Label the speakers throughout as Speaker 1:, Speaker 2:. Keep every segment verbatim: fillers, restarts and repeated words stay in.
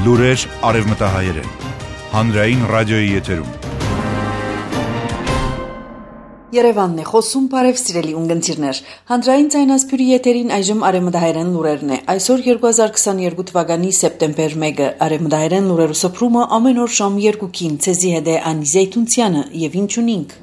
Speaker 1: Լուրեր արևմտահայերեն, հանրային ռադիոյի եթերում։
Speaker 2: Երևանն է խոսում, բարև սիրելի ունգընտիրներ։ Հանրային ձայնասփյուրի եթերին այժմ արևմտահայերեն լուրերն է։ Այսօր երկու հազար քսաներկու թվականի սեպտեմբեր մեկը արևմտահայերեն լուրերու սփռումը ամեն օր շամ երկուքին ցեզի հետ է Անի Զեյթունցյանը եւ ինչ ունինք։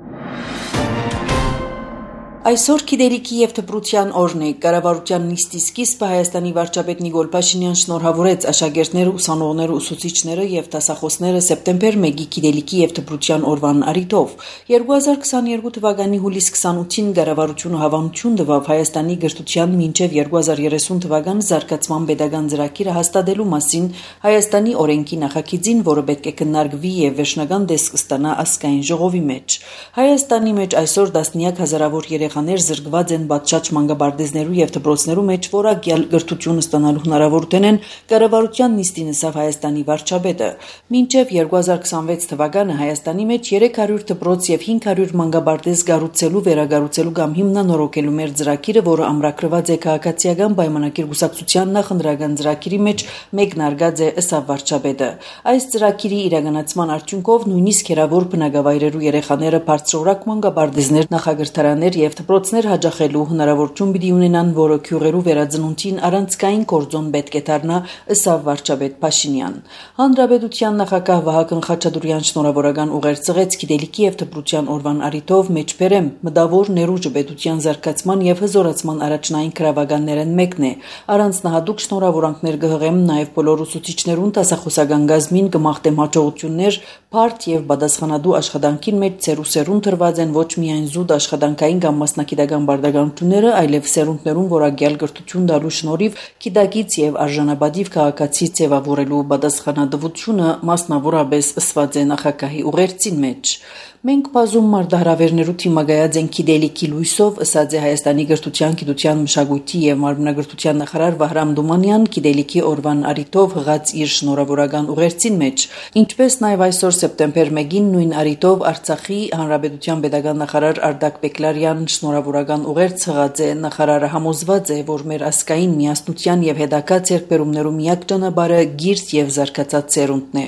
Speaker 2: Այսօր գիտելիքի եւ դպրության օրն է։ Կառավարության նիստի սկիզբը Հայաստանի վարչապետ Նիկոլ Փաշինյան շնորհավորեց աշակերտները, ուսանողները, ուսուցիչները եւ դասախոսները սեպտեմբեր մեկի գիտելիքի եւ դպրության օրվան առիթով։ երկու հազար քսաներկու թվականի հուլիս քսանութին կառավարությունը հավանություն տվավ Հայաստանի գրթության մինչեւ երկու հազար երեսուն թվական զարգացման pedagogan ծրագիրը հաստատելու մասին Հայաստանի օրենքի նախագիծին, որը պետք է քննարկվի եւ վերջնական տեսք ստանա ազգային ժողովի մեջ։ Հայաստանի մեջ այսօր տասնյակ հազարավոր երեխաներ զրկված են բացճաճ մանկաբարձներու եւ դպրոցներու մեջ որակյալ գրթություն ստանալու հնարավորություն են կառավարության նիստին ասավ Հայաստանի վարչապետը։ Մինչեւ երկու հազար քսանվեց թվականը Հայաստանի մեջ երեք հարյուր դպրոց եւ հինգ հարյուր մանկաբարձ կառուցելու, վերագառուցելու կամ հիմնանորոգելու մեր ծրագիրը, որը ամրագրված է քաղաքացիական պայմանագիր կուսակցության նախընտրական ծրագիրի մեջ, մեկնարկած է ասավ վարչապետը։ Այս ծրագիրի իրականացման արդյունքով նույնիսկ հերավոր բնակավայրերու երեխաները բարձրորակ մանկաբարձներ, նախագրթարաններ եւ դպրոցներ հաջախելու հնարավորություն պիտի ունենան, որը քյուրերու վերածնունդին առանցքային կորձոն պետք է դառնա, ըստ վարչապետ Փաշինյան։ Հանրապետության նախագահ Վահագն Խաչատուրյան շնորհավորական ուղեր ծղեց գիտելիքի եւ դպրության օրվան առիթով մեջբերեմ մտավոր ներուժը պետության զարգացման եւ հզորացման առաջնային քրավականներն մեկն է։ Առանձնահատուկ շնորհավորանքներ կհղեմ նաեւ բոլոր ուսուցիչներուն, դասախոսական գազմին կմաղթեմ հաջողություններ, բարդ եւ պատասխանատու աշխատանքին մեջ ծերուսերուն տրված են ոչ միայն զուտ աշխատանքային կամ մասնակիտական բարդականությունները, այլև սերունդներուն որակյալ գրթություն տալու շնորհիվ գիտակից եւ արժանապատիվ քաղաքացի ձևավորելու պատասխանատվությունը մասնավորապես ըսված է նախագահի ուղերձին մեջ։ Մենք բազում մարդահրավերներու թիմագայած են գիտելիքի լույսով, ըսած է Հայաստանի գրթության, գիտության, մշակույթի եւ մարմնագրթության նախարար Վահրամ Դումանյան գիտելիքի օրվան առիթով հղած իր շնորհավորական ուղերձին մեջ, ինչպես նաեւ այսօր սեպտեմբեր մեկին նույն առիթով Արցախի Հանրապետության pedagogan նախարար Արտակ Բեկլարյան շնորհավորական ուղերձ հղած է։ Նախարարը համոզված է, որ մեր ազգային միասնության եւ հետագա ձեռքբերումներու միակ ճանապարհը գիրք եւ զարգացած սերունդն է։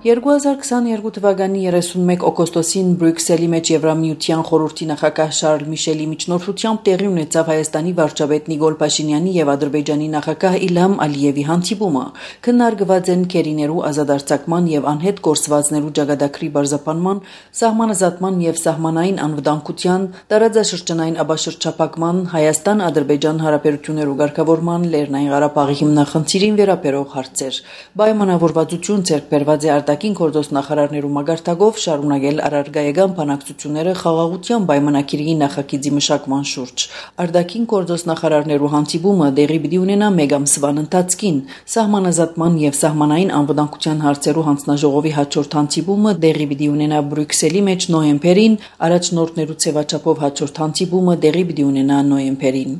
Speaker 2: երկու հազար քսաներկու թվականի երեսունմեկ օգոստոսին Բրյուսելի մեջ Եվրամիության խորհրդի նախագահ Շարլ Միշելի միջնորդությամբ տեղի ունեցավ Հայաստանի վարչապետ Նիկոլ Փաշինյանի եւ Ադրբեջանի նախագահ Իլհամ Ալիևի հանդիպումը։ Քննարկված են քերիներու ազատարձակման եւ անհետ գործվածներու ճակատագրի բարձրապանման, սահմանազատման եւ սահմանային անվտանգության, տարածաշրջանային աբաշրջափակման, Հայաստան-Ադրբեջան հարաբերություններու ղեկավարման, Լեռնային Ղարաբաղի հիմնախնդիրին վերաբերող հարցեր։ Պայմանավորվածություն ձեռք բերված է արտաքին գործոս նախարարներու մագարտակով շարունակել առարգայական բանակցությունները խաղաղության պայմանագիրի նախագիծի մշակման շուրջ։ Արտաքին գործոս նախարարներու հանդիպումը տեղի պիտի ունենա մեկ ամսվան ընթացքին։ Սահմանազատման եւ սահմանային անվտանգության հարցերու հանձնաժողովի հաջորդ հանդիպումը տեղի պիտի ունենա Բրյուսելի մեջ նոյեմբերին, առաջնորդներու ցեվաչափով հաջորդ հանդիպումը տեղի պիտի ունենա նոյեմբերին։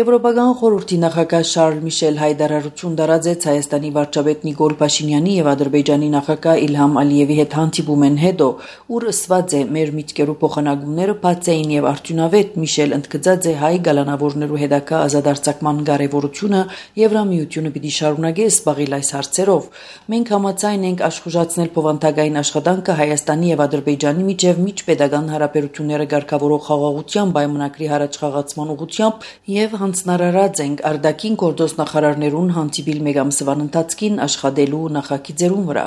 Speaker 2: Եվրոպական խորհրդի նախագահ Շարլ Միշել հայտարարություն տարածեց Հայաստանի վարչապետ Նիկոլ Փաշինյանի եւ Ադրբեջանի նախագահ Իլհամ Ալիևի հետ հանդիպումեն հետո, ուր ըսված է մեր միտքերու փոխանակումները բաց էին եւ արդյունավետ Միշել ընդգծած է հայ գալանավորներու հետագա ազատարձակման կարեւորությունը Եվրամիությունը պիտի շարունակի զբաղել այս հարցերով։ Մենք համաձայն ենք աշխուժացնել փոխանցագային աշխատանքը Հայաստանի եւ Ադրբեջանի միջև միջպետական հարաբերությունները ղեկավարող խաղաղության պայմանագրի հարաճխաղացման ուղղությամբ եւ հանձնարարած ենք արտաքին գործոս նախարարներուն հանդիպիլ մեկ ամսվան ընթացքին աշխատելու նախագիծերուն վրա։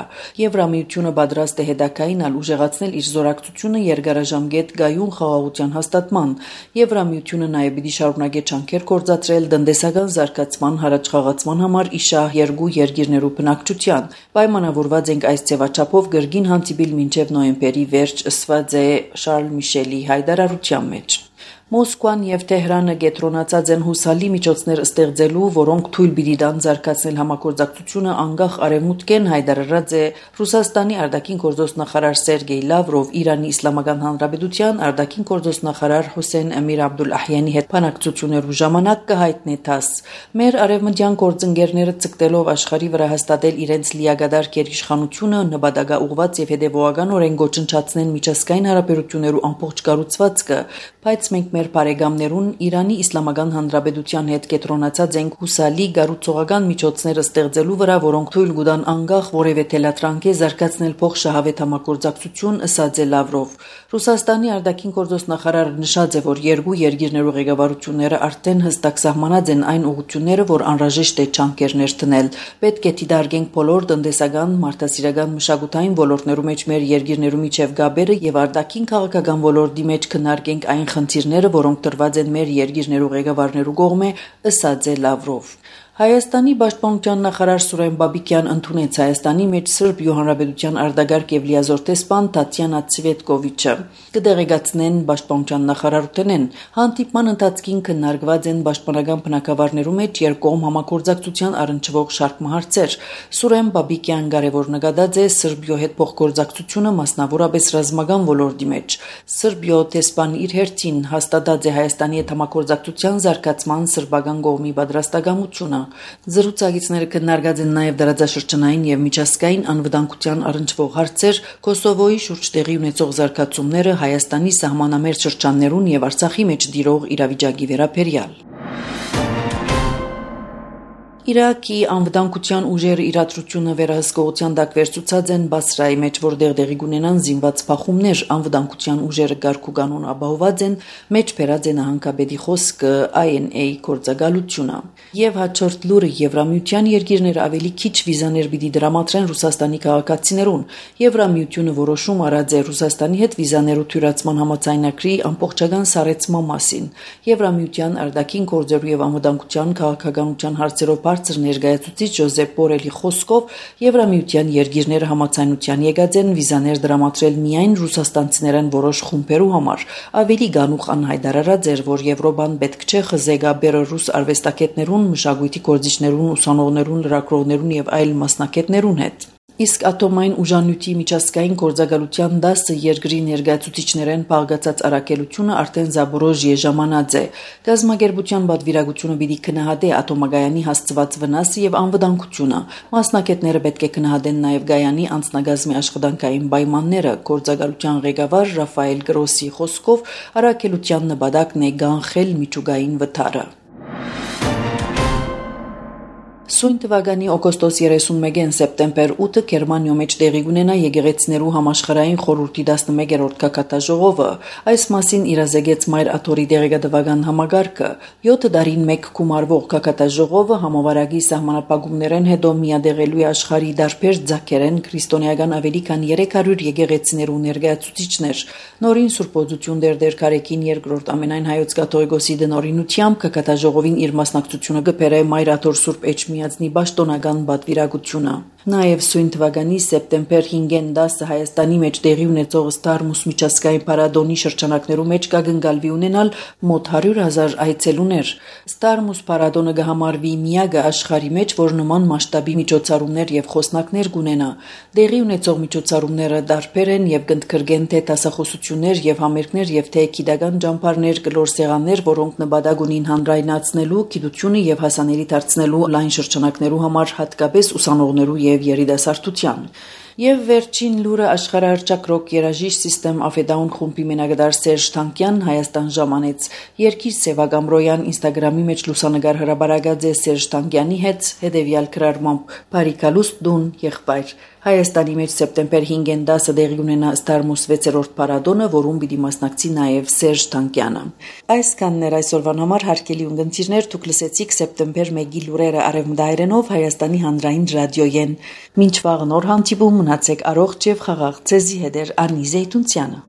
Speaker 2: Եվրամիությունը պատրաստ է հետագային ուժեղացնել իր զորակցությունը երկարաժամկետ գայուն խաղաղության հաստատման։ Եվրամիությունը նաև պիտի շարունակի ջանքեր գործադրել տնտեսական զարգացման հարաճխաղացման համար իշահ երկու երկիրներու բնակչության։ Պայմանավորված ենք այս ձևաչափով գրգին հանդիպիլ մինչև նոյեմբերի վերջ, ըսված է Շարլ Միշելի հայտարարության մեջ։ Մոսկվան եւ Թեհրանը կենտրոնացած են հուսալի միջոցներ ստեղծելու, որոնք թույլ պիտի տան զարգացնել համագործակցությունը անկախ արևմուտքեն, հայտարարած է Ռուսաստանի արտաքին գործոս նախարար Սերգեյ Լավրով Իրանի Իսլամական Հանրապետության արտաքին գործոս նախարար Հոսեյն Ամիր Աբդուլլահյանի հետ բանակցություններու ժամանակ կհայտնի տաս։ Մեր արևմտյան գործընկերները ցկտելով աշխարհի վրա հաստատել իրենց լիագադար գերիշխանությունը, նպատակաուղված եւ հետեւողականորեն գոչնչացնեն միջազգային հարաբերություններու ամբողջ կառուցվածքը, բայց մենք մեր մեր բարեկամներուն Իրանի Իսլամական Հանրապետության հետ կետրոնացած ենք հուսալի գառուցողական միջոցները ստեղծելու վրա, որոնք թույլ կտան անկախ որևէ թելատրանք զարգացնել փոխշահավետ համագործակցություն, ըսած է Լավրով։ Ռուսաստանի արտաքին գործոստ նախարարը նշած է, որ երկու երկիրներու ղեկավարությունները արդեն հստակ սահմանած են այն ուղղությունները, որ անհրաժեշտ է ջանքերներ դնել։ Պետք է դիտարկենք բոլոր տնտեսական, մարդասիրական, մշակութային ոլորտներու մեջ մեր երկիրներու միջև գաբերը եւ արտաքին քաղաքական ոլորտի մեջ քննարկենք այն խնդիրները, որոնք տրված են մեր երկիրներու ղեկավարներու կողմէ, ըսած է Լավրով։ Հայաստանի պաշտպանության նախարար Սուրեն Բաբիկյան ընդունեց Հայաստանի մեջ Սրբիո Հանրապետության արտագաղթ եւ լիազոր տեսփան Տատյանա Ցվետկովիչը։ Կդեղեկացնեն պաշտպանության նախարարութենեն հանդիպման ընթացքին քննարկված են պաշտպանական բնակավարներու մեջ երկկողմ համագործակցության առնչվող շարք հարցեր։ Սուրեն Բաբիկյան կարևոր նկատած է Սրբիո հետ փոխգործակցությունը մասնավորապես ռազմական ոլորտի մեջ։ Սրբիո տեսփան իր հերթին հաստատած է Հայաստանի հետ համագործակցության զարգացման սրբական կողմի պատրաստակամությունը։ Զրուցակիցները քննարկած են նաև դարաձաշրջանային եւ միջազգային անվտանգության առնչվող հարցեր, Կոսովոյի շուրջ տեղի ունեցող զարգացումները, Հայաստանի սահմանամերձ շրջաններուն եւ Արցախի մեջ տիրող իրավիճակի վերաբերյալ։ Իրաքի անվտանգության ուժերը իրադրությունը վերահսկողության տակ վերցուցած են Բասրայի մեջ, որտեղ տեղի կունենան զինված փախումներ, անվտանգության ուժերը գարկ ու կանոն ապահոված են, մեջ բերած է նահանգապետի խոսքը I N A գործակալությունը։ Եվ հաջորդ լուրը Եվրամիության երկիրները ավելի քիչ վիզաներ պիտի դրամատրեն Ռուսաստանի քաղաքացիներուն։ Եվրամիությունը որոշում արած է Ռուսաստանի հետ վիզաներու թյուրացման համաձայնագրի ամբողջական սառեցման մասին։ Եվրամիության արտաքին գործերու եւ անվտանգության քաղաքականության հարցերով բարձր ներկայացուցիչ Ջոզեփ Բորելի խոսքով Եվրամիության երկիրները համաձայնության եկած են վիզաներ դրամատրել միայն ռուսաստանցիներեն որոշ խումբերու համար։ Ավելի գանուխ անհայտարարած էր, որ Եվրոպան պետք չէ խզեգաբերը ռուս արվեստագետներուն, մշակույթի գործիչներուն, ուսանողներուն, լրագրողներուն եւ այլ մասնակիցներուն հետ։ Իսկ ատոմային ուժանյութի միջազգային գործակալության դասը երկրի ներկայացուցիչներեն բաղկացած առաքելությունը արդեն Զաբորոժիե ժամանած է։ Գազམ་ագերբության պատվիրակությունը պիտի քննադատի ատոմագայանի հասցված վնասը եւ անվտանգությունը։ Մասնակիցները պետք է քննադատեն նաեւ Գայանի անձնագազմի աշխատանքային պայմանները։ Գործակալության ղեկավար Ռաֆայել Գրոսի խոսքով առաքելության նպատակն է կանխել միջուկային վթարը։ Սույն թվականի օգոստոս երեսունմեկին սեպտեմբեր ութը Գերմանիո մեջ տեղի կունենա եկեղեցիներու համաշխարհային խորհրդի տասնմեկերորդ կակատաժողովը։ Այս մասին իրազեկեց Մայր Աթորի դեղեկատվական համագարկը։ յոթ տարին մեկ գումարվող կակատաժողովը համավարակի սահմանապահումներեն հետո միադեղելու է աշխարհի դարբեր ձակերեն քրիստոնեական ավելի քան երեք հարյուր եկեղեցիներու ներկայացուցիչներ։ Նորին Սուրբոզություն դերդեր Կարեկին երկրորդ ամենայն հայոց կաթողիկոսի դնորինությամբ կակատաժողովին իր մասնակցությունը կբերե Մայր Աթոր Սուրբ Էջմիածնի պաշտոնական պատվիրակությունը։ Նաև սույն թվականի սեպտեմբեր հինգին դասը Հայաստանի մեջ տեղի ունեցող Ստարմուս միջազգային փառատոնի շրջանակներու մեջ կգնկալվի ունենալ մոտ հարյուր հազար այցելուներ։ Ստարմուս փառատոնը կհամարվի միակը աշխարհի մեջ, որ նման մասշտաբի միջոցառումներ եւ խոսնակներ կունենա։ Տեղի ունեցող միջոցառումները դարբեր են եւ կընդգրկեն թե դասախոսություններ եւ համերգներ եւ թե գիտական ճամփարներ, կլոր սեղաններ, որոնք նպատակ ունին հանրայնացնելու գիտությունը եւ հասանելի դարձնելու լայն շրջանակներու համար, հատկապես ուսանողներու եւ երիտասարդության։ Եվ վերջին լուրը աշխարհահռչակ ռոք երաժիշտ System of a Down խումբի մենակդար Սերժ Թանկյան Հայաստան ժամանեց։ Երկիր Սևագամրոյան Instagram-ի մեջ լուսանկար հրաբարացած է Սերժ Թանկյանի հետ հետևյալ գրառմամբ՝ «Բարիկալուստ դուն եղբայր»։ Հայաստանի մեջ սեպտեմբեր հինգին դասը տեղի ունենա Ստարմուս վեցերորդ փառատոնը, որում պիտի մասնակցի նաև Սերժ Թանկյանը։ Այսքանն էր այսօրվան համար, հարգելի ունկնդիրներ, դուք լսեցիք սեպտեմբեր մեկի լուրերը արևմտայերենով Հայաստանի հանրային ռադիոյեն։ Մինչ վաղ նոր հանդիպում, մնացեք առողջ եւ խաղաղ, ցեզի հետ էր Արնի Զեյթունցյանը։